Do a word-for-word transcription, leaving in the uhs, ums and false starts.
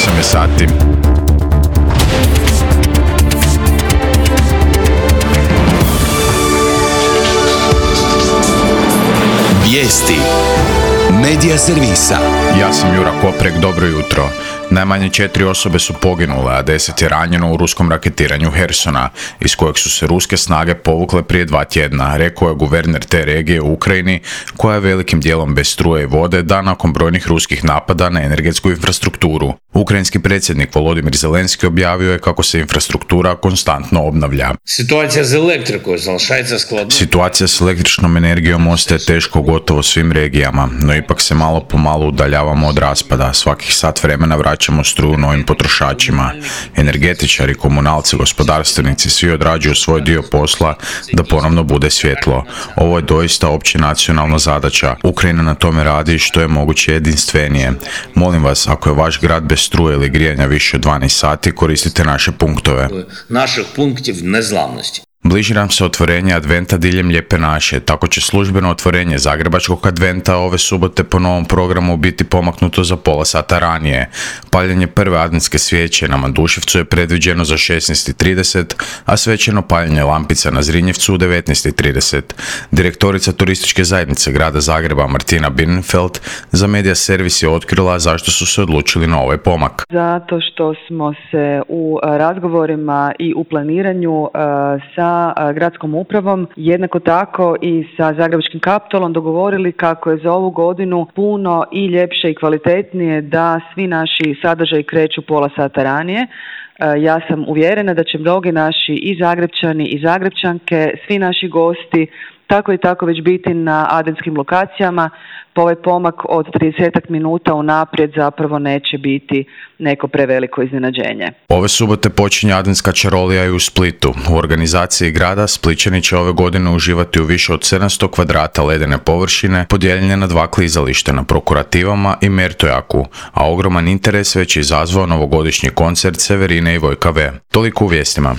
osam je sati. Vijesti Medija servisa. Ja sam Jura Koprek, dobro jutro. Najmanje četiri osobe su poginule, a deset je ranjeno u ruskom raketiranju Hersona, iz kojeg su se ruske snage povukle prije dva tjedna, rekao je guverner te regije u Ukrajini, koja je velikim dijelom bez struje i vode, da nakon brojnih ruskih napada na energetsku infrastrukturu. Ukrajinski predsjednik Volodymyr Zelenski objavio je kako se infrastruktura konstantno obnavlja. Situacija s elektrikom залишається skladna. Situacija s električnom energijom ostaje teško u gotovo svim regijama, no ipak se malo po malo udaljavamo od raspada. Svakih sat vremena vraćamo struju novim potrošačima. Energetičari, komunalci, gospodarstvenici, svi odrađuju svoj dio posla da ponovno bude svjetlo. Ovo je doista opće nacionalna zadaća. Ukrajina na tome radi što je moguće jedinstvenije. Molim vas, ako je vaš grad bez struje ili grijanja više od dvanaest sati, koristite naše punktove. Naših punktiv nezlamnosti. Bliži nam se otvorenje adventa diljem Lijepe naše, tako će službeno otvorenje Zagrebačkog adventa ove subote po novom programu biti pomaknuto za pola sata ranije. Paljenje prve adventske svijeće na Manduševcu je predviđeno za šesnaest i trideset, a svečano paljenje lampica na Zrinjevcu u devetnaest i trideset. Direktorica turističke zajednice grada Zagreba Martina Birnfeld za Medija servis je otkrila zašto su se odlučili na ovaj pomak. Zato što smo se u razgovorima i u planiranju sa gradskom upravom, jednako tako i sa Zagrebačkim Kaptolom dogovorili kako je za ovu godinu puno i ljepše i kvalitetnije da svi naši sadržaji kreću pola sata ranije. Ja sam uvjerena da će mnogi naši i Zagrebčani i Zagrebčanke, svi naši gosti, tako i tako već biti na adventskim lokacijama, pa ovaj pomak od trideset minuta unaprijed zapravo neće biti neko preveliko iznenađenje. Ove subote počinje adventska čarolija i u Splitu. U organizaciji grada Splićani će ove godine uživati u više od sedamsto kvadrata ledene površine, podijeljene na dva klizališta na Prokurativama i Mertojaku, a ogroman interes već je izazvao novogodišnji koncert Severine i Vojka V. Toliko u vijestima.